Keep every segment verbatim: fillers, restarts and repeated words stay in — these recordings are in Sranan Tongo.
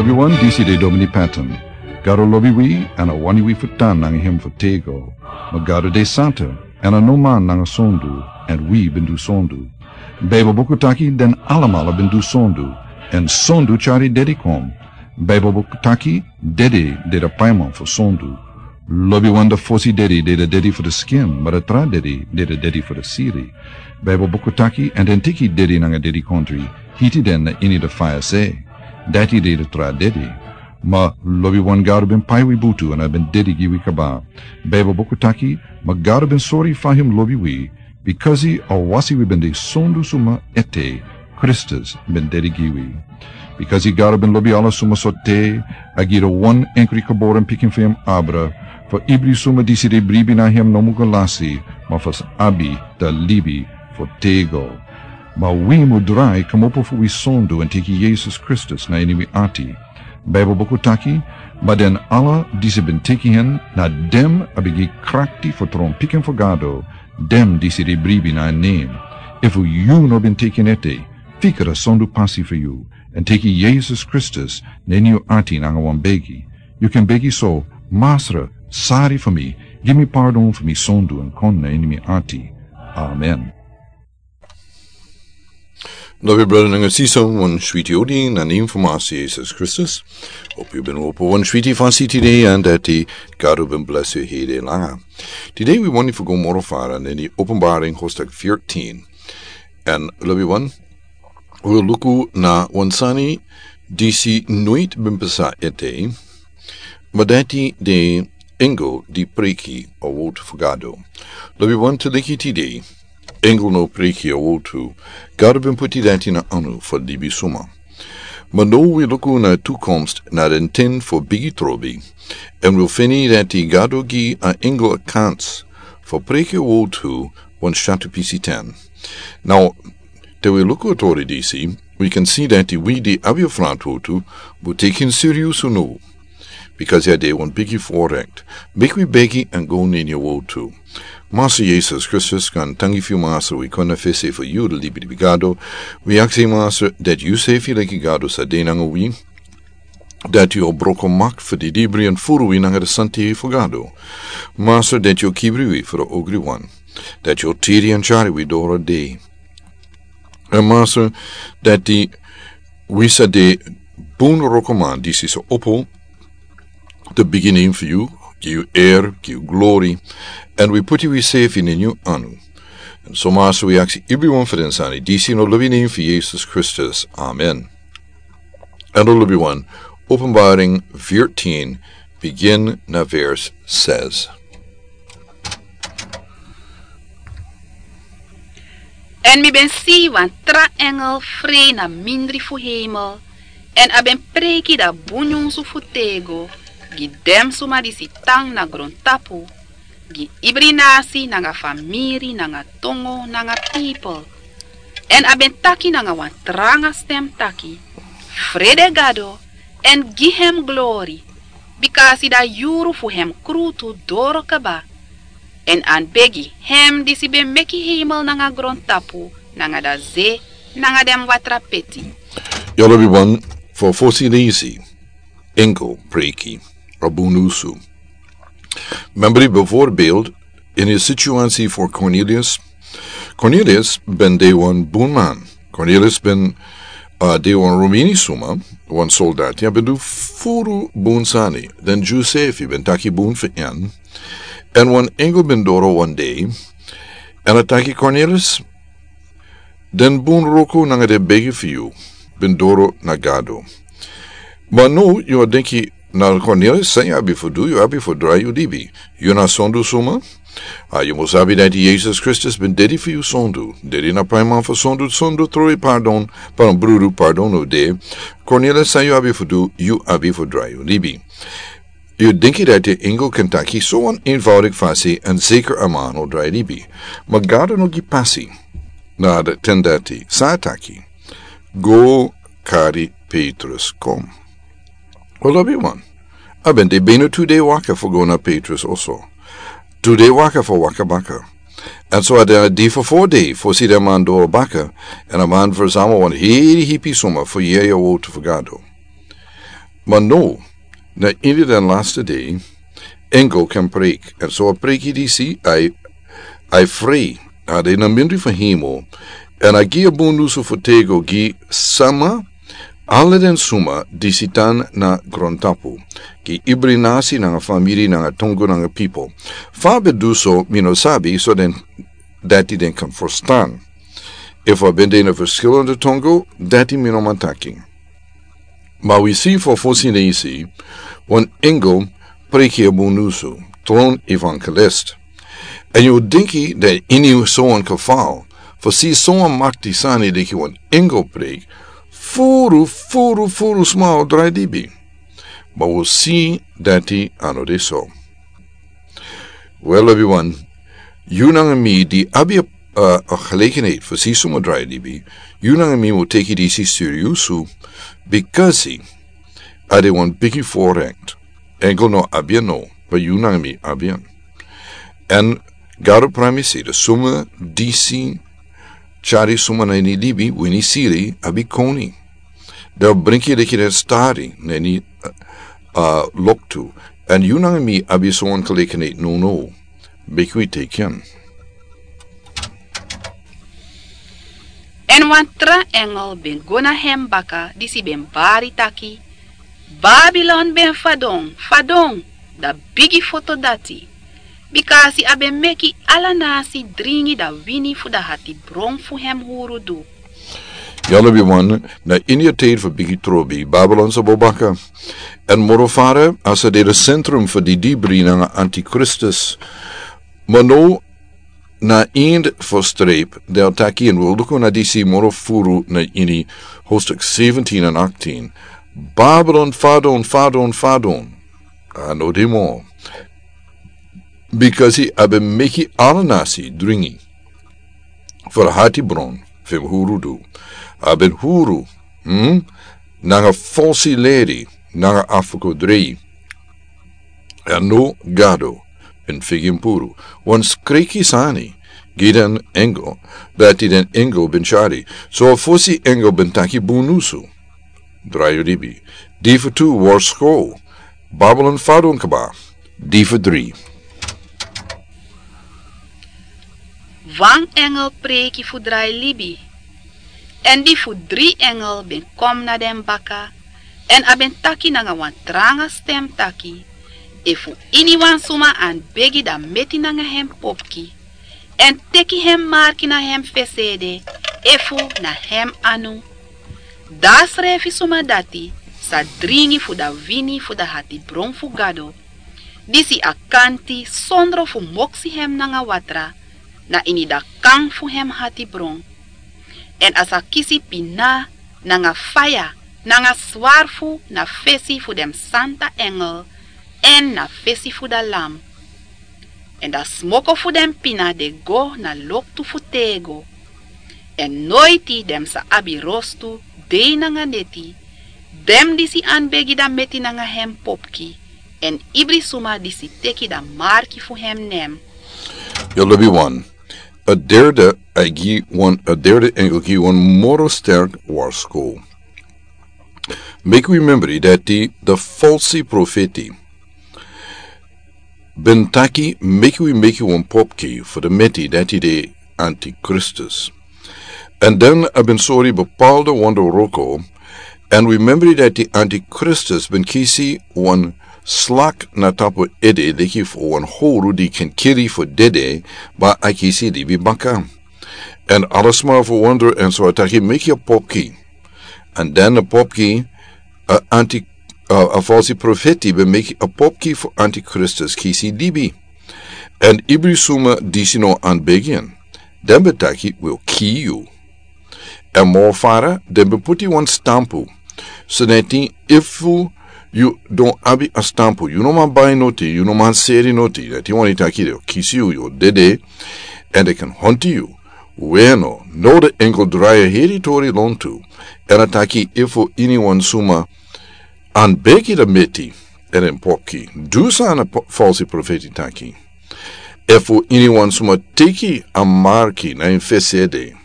Yu wan disi de Domini Patton. Gado lobi wi, èn a wani wi fu tan nanga hem fu tego. Ma Gado de santa, èn a no man nanga sondu, èn wi ben du sondu. Baibel buku taki den alamala ben du sondu, èn sondu tyari dedi kon. Baibel buku taki dedi de da paiman fu sondu. Lobi wan da fosi dedi de da dedi fu da skin, ma da tra dedi de da dedi fu da siri. Baibel buku taki, èn den teki dedi nanga dedi kontri, hiti den na ini da faya se. Dati de da tra dedi. Ma lobi wan Gado ben pai wi butu èn a ben dedi gi wi kaba. Baibel buku taki, ma Gado ben sori fa hem lobi wi, bikasi a wasi wi ben de sondu suma ete, Kristus ben dedi gi wi. Bikasi Gado ben lobi ala suma so te, a gi da wan enkri geboren pikin fu hem abra, fu ibri suma disi de bribi na hem no mu go lasi, ma fu abi da libi fu tego. Ma wi mu drai kmopo fu wi sondu èn teki Yesus Kristus na ini wi ati. Baibel buku taki, ma den ala disi ben teki hen, na dem a ben gi krakti fu tron pikin fu Gado, dem disi de bribi na en nen. Efu yu no ben teki en ete, fika da sondu pasi fu yu, èn teki Yesus Kristus na ini yu ati nanga wan begi. Yu kan begi so, Masra, sari fu mi, gi mi pardon fu mi sondu èn kon na ini mi ati. Amen. Lobi brada nanga sisa, wan switi odi na nen fu Masra Yesus Kristus. Hopu yu ben opo wan switi fasi tide, èn dati Gado ben blesi yu hede langa. Tide wi wani fu go moro fara na ini Openbaring hoofdstuk veertien. Èn lobi wan, wi luku na wan sani disi noiti ben pasa ete, ma dati de engel di preki a wortu fu Gado. Lobi wan, te leki tide, engel no preki a wortu, Gado ben puti dati na anu fu libisuma. Ma now wi luku na toekomst na den ten fu bigi trobi, èn wi feni dati Gado gi a engel a kans fu preki a wortu wan syatu pisi ten. Now, te wi luku a tori disi, wi kan si dati wi di abi a frantwortu, wi teki en siriusu now. Bikasi a de wan bigi voorrecht. Meki wi begi èn go na ini a wortu. Masra Yesus Kristus, kan tangi fu yu Masra, wi kon na fesi fu yu, da libi di Gado. Wi aksi Masra dati yu sefi leki Gado sa de nanga wi. Dati yu o broko makti fu di dibri èn furu wi nanga da santi fu Gado. Masra dati yu o kibri wi fu da ogri wan. Dati yu o tiri èn tyari wi doro dei. Èn Masra, dati wi sa de bun wrokoman disi sa opo, da bigi nen fu yu, gi yu eri, gi yu glori, èn wi puti wi sefi na ini yu anu. Èn so Masra wi aksi ibri wan fu den sani disi na lobi nen fu Yesus Kristus. Amen. Èn lobi wan, Openbaring veertien, begin na vers zes. Èn mi ben si wan tra engel frei na mindri fu heimel, èn a ben preiki da bun nyunsu fu tego gi den suma disi tan na grontapu, gi ibri nasi nanga famiri nanga tongo nanga pipel. Èn a ben taki nanga wan tranga stem taki: Frede Gado, èn gi hem glori, bikasi da yuru fu hem krutu doro kaba, èn a begi hem disi ben meki heimel nanga grontapu nanga da ze nanga den watrapeti. Yu lobi wan, fu fosi leisi, engel preiki a bun nyunsu. Membri bijvoorbeeld in a situatie voor Cornelius. Cornelius ben de wan bun man. Cornelius ben, uh, de wan Romeinse suma, wan soldaat. A ben du furu bun sani. Den Josefi ben taki bun fu en. Èn wan engel ben doro wan dei. Èn a taki: Cornelius, den bun wroko nanga den begi fu yu ben doro na Gado. Ma now yu o denki: Na Cornelius, san yu abi fu du? Yu abi fu drai yu libi. Yu na sondu suma. A, yu mus sabi dati Yesus Kristus ben dedi fu yu sondu. Dedi na paiman fu sondu, sondu trowe pardon, pa brudu pardon no de. Cornelius, san yu abi fu du? Yu abi fu drai yu libi. Yu denki dati a engel kan taki so wan eenvoudig fasi èn zeker a man o drai libi. Ma Gado no gi pasi na den ten dati. San a taki? Go kari Petrus kon. Yu lobi wan, a ben de bina tu dei waka fu go na Petrus oso. Tu dei waka fu waka baka. Èn so a de a dei fu fo dei fosi den man doro baka, èn a man verzamel wan heri hipi suma fu yere a wortu fu Gado. Ma no, na ini den laste dei, engel kan preiki, èn so a preiki disi, a e, a e frei, a de na mindri fu hemel, èn a gi a bun nusu fu tego gi sama, ala den suma disi tan na grontapu, gi ibri nasi nanga famiri nanga tongo nanga pipel. Fa a ben du so, mi no sabi, so den dati den kan ferstan. Efu a ben de na ferskilende tongo, dati mi no man taki. Ma wi si fu fosi na isi, wan engel preiki a bun nusu, tron evangelist. Èn yu denki dati ini sowan geval, fu si sowan makti sani leki wan engel preiki, furu, furu, furu sma o drai libi. Ma wi si dati a no de so. Wel, lobiwan, yu nanga mi di abi a, a, a gelegenheid fu si suma drai libi, yu nanga mi mu teki disi seriusu, bikasi a de wan bigi voorrecht. Engel no abi en no, ma yu nanga mi abi en. Èn Gado pramisi dati suma disi tyari suma na ini libi, wini siri, abi koni. Den o bringi leki den stari na ini, a, loktu. Èn yu nanga mi abi sowan gelegenheid nownow. Meki wi teki en. Èn wan tra engel ben go na hem baka, disi ben bari taki: Babilon ben fadon, fadon, da bigi foto dati, bikasi a ben meki ala nasi dringi da wini fu da hatibron fu hem hurudu. Ya, lobiwan, na ini a tide fu bigi trobi, Babilon sa bo baka. Èn moro fara, a sa de a sentrum fu di dibri nanga antikristus. Ma now, na eind fu streep, den o taki, èn wi o luku na disi moro furu na ini hoofdstuk zeventien en achttien. Babilon, fadon, fadon, fadon. A no de moro. Bikasi a ben meki ala nasi dringi fu a hatibron fu hem hurudu. A ben huru, hm? Nanga falsi leri, nanga afgoderei. Èn now Gado ben figi en puru. Wan skriki sani gi den engel, dati den engel ben tyari. So a fosi engel ben taki bun nusu. Drai yu libi. Di fu tu, warsko. Babilon fadon kaba. Di fu dri. Wan engel preiki fu drai libi. Èn di fu dri engel ben kon na den baka, èn a ben taki nanga wan tranga stem taki: Efu iniwan suma anbegi da meti nanga hem popki, èn teki hem marki na hem fesi ede, efu na hem anu, da srefi suma dati sa dringi fu da wini fu da hatibron fu Gado, disi a kanti sondro fu moksi hem nanga watra, na ini da kan fu hem hatibron. Èn a sa kisi pina nanga faya nanga swarfu na fesi fu den santa engel èn na fesi fu da Lam. Èn da smoko fu den pina de go na loktu fu tego. Èn noiti den sa abi rostu dei nanga neti, den disi anbegi da meti nanga hem popki, èn ibri suma disi teki da marki fu hem nen. Yu lobiwan, a derde, a gi wan, a derde engel gi wan moro sterk warsko. Meki wi memori dati da falsi profeti ben taki meki wi meki wan popki fu da meti dati de antikristus. Èn dan a ben sori bepaalde wonderwroko, èn wi memori dati antikristus ben kisi wan slak na tapu ede leki fu wan huru di kan kiri fu dede, ma a kisi libi baka. Èn ala sma ferwonder èn so a taki meki a popki. Èn dan a popki, a anti, a, a falsi profeti ben meki a popki fu antikristus kisi libi. Èn ibri suma disi no anbegi en, den ben taki wi o kii yu. Èn moro fara, den ben poti wan stampu. So dati efu yu no abi a stampu, yu no man bai noti, yu no man seri noti, dati wani taki den o kisi yu, yu o dede, èn den kan honti yu. Weno, now da engel drai a heri tori lontu, èn a taki efu iniwan suma anbegi da meti èn en popki, du san a po-, falsi profeti taki. Efu iniwan suma teki a marki na en fesi ede,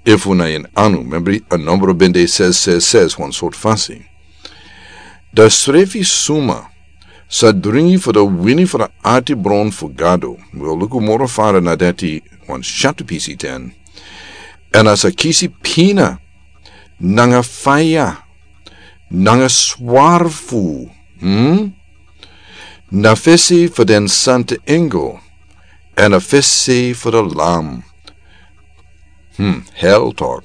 efu na en anu, memori a nombro ben de ses ses ses, wan sortu fasi. Dan srefi suma sa dringi fu dan wini fu dan arti bron fu Gado. Wi o luku moro fara na dati wan shatu pisi ten. Èn a sa kisi pina nanga faya nanga swarfu, hmm? Na fesi fu den santa engel èn na fesi fu dan Lam. Hmm, hel tok.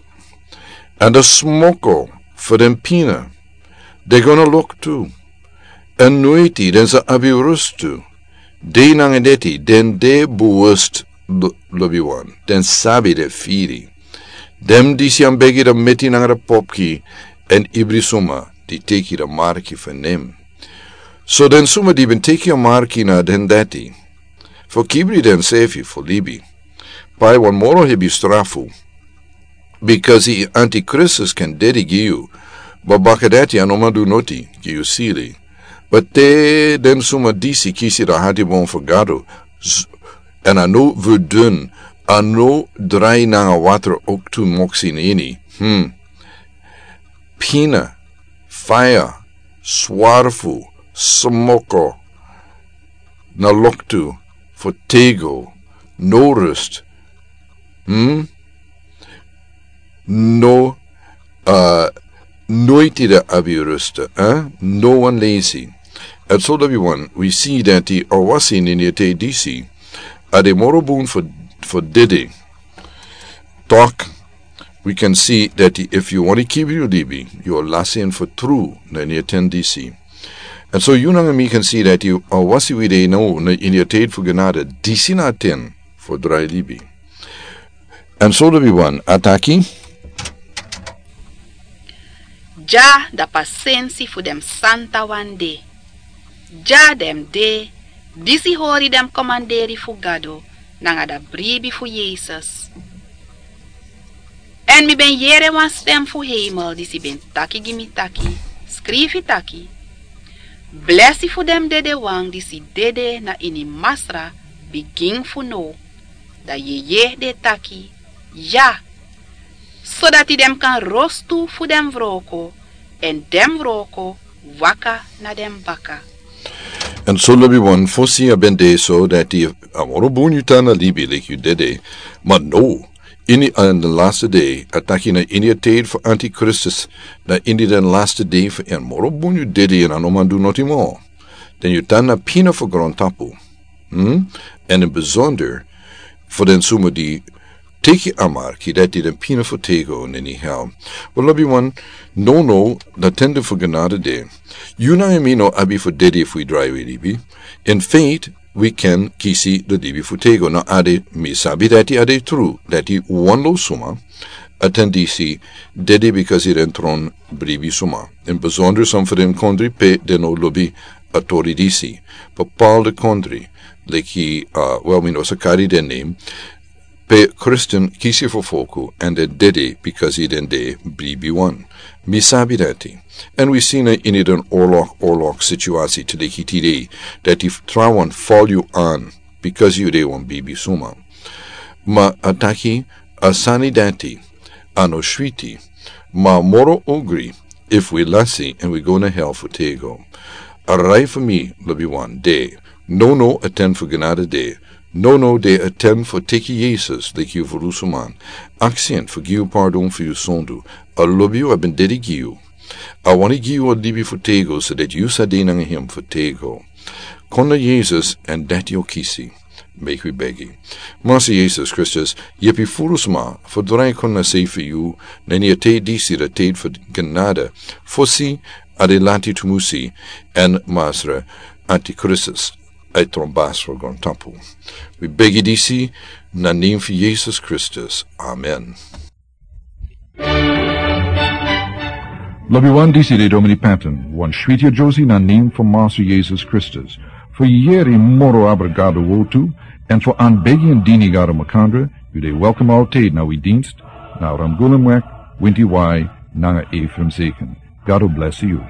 Èn dan smoko fu den pina de gona loktu. Èn noiti den sa abi rustu. De nanga deti den de buwust, lobiwan, den sabi de firi. Den disi a begi dan meti nanga dan popki èn ibri suma di teki dan marki fu nem. So den suma di ben teki a marki na den dati fu kibri densefi fu libi, pai wan moro hebi strafu. Bikasi antikristus kan dedi gi yu, ma baka dati a no man du noti gi yu sili. Ma te den suma disi kisi dan hati bon fu Gado, èn a no verdun, a no drai nanga watra oktu moksi nini. Hmm. Pina, faya, swarfu, smoko, na loktu, fu tego, no rust. Hmm? No, uh, noiti dan abi rust, eh? No wan lesi. Èn so lobiwan, wi si dati a wasi nini a te disi a de moro bun fu, fu dede. Tok, wi kan si dati efu yu wani kibri yu libi, yu o lasi en fu tru na ini a ten disi. Èn so yu nanga mi kan si dati a wasi wi de no na ini a ten fu genade disi na a ten fu drai libi. Èn so lobiwan a taki. Dya dan pasensi fu den santawan de. Dya den de disi hori den komanderi fu Gado nanga dan bribi fu Yesus. Èn mi ben yere wan stem fu heimel disi ben taki gi mi taki, skrifi taki, blesi fu den dedewan disi dede na ini Masra bigin fu now. Dan yeye de taki, ya, sodati den kan rostu fu den wroko èn den wroko waka na den baka. Èn so lobiwan, fosi a ben de so dati a moro bun yu tan na libi leki yu dede. Ma no, ini a den laste dei a taki na ini a ten fu antikristus, na ini den laste dei fu en moro bun yu dede èn a no man du noti mo. Den yu tan na pina fu grontapu. Hmm? Èn in besonder fu den suma di teki a marki dati den pina fu tego nini hel. Wel lobiwan, no no, dan tende fu genade de. Yu nanga mi no abi fu dede fu wi drai wi libi. In feit, wi kan kisi dan libi fu tego. Na a de, mi sabi dati a de tru dati wan lo suma a ten disi dede bikasi den tron bribi suma. In besonder san fu den kondri pe den no lobi a tori disi. Bepaalde kondri leki, uh, wel, mi no sa kari den nem, pe Kristin kisi fu foku èn den dede bikasi den de bribi wan. Mi sabi dati. Èn wi si na ini den orlok orlok situasi te leki tide dati trawan fal yu an bikasi yu de wan bribi suma. Ma a taki a sani dati a no switi, ma moro ogri efu wi lasi èn wi go na hel fu tego. A rai fu mi lobiwan de, no no a ten fu genade de. No no, de a ten fu teki Yesus leki yu fu lusuman. Aksi en fu gi yu pardon fu yu sondu. A lobi yu, a ben dede gi yu. A wani gi yu a libi fu tego so dati yu sa de nanga hem fu tego. Kon na Yesus èn dati o kisi. Meki wi begi. Masa Yesus Kristus, yepi furu sma fu drai kon na sei fu yu na ini a ten disi, dan ten fu genade, fosi a de lati tumusi èn Masra antikristus a e tron basi fu grontapu. Wi begi disi na nem fu Yesus Kristus. Amen. Lobiwan, disi de Domini Patton, wan switi a josi na nem fu Masa Yesus Kristus. Fu yeri moro abra Gado wortu èn fu anbegi èn dini Gado makandra, yu de welkom altid na wi dinst na Ramgulumwek, Winti Wai nanga Efrem Zeken. Gado blesi yu.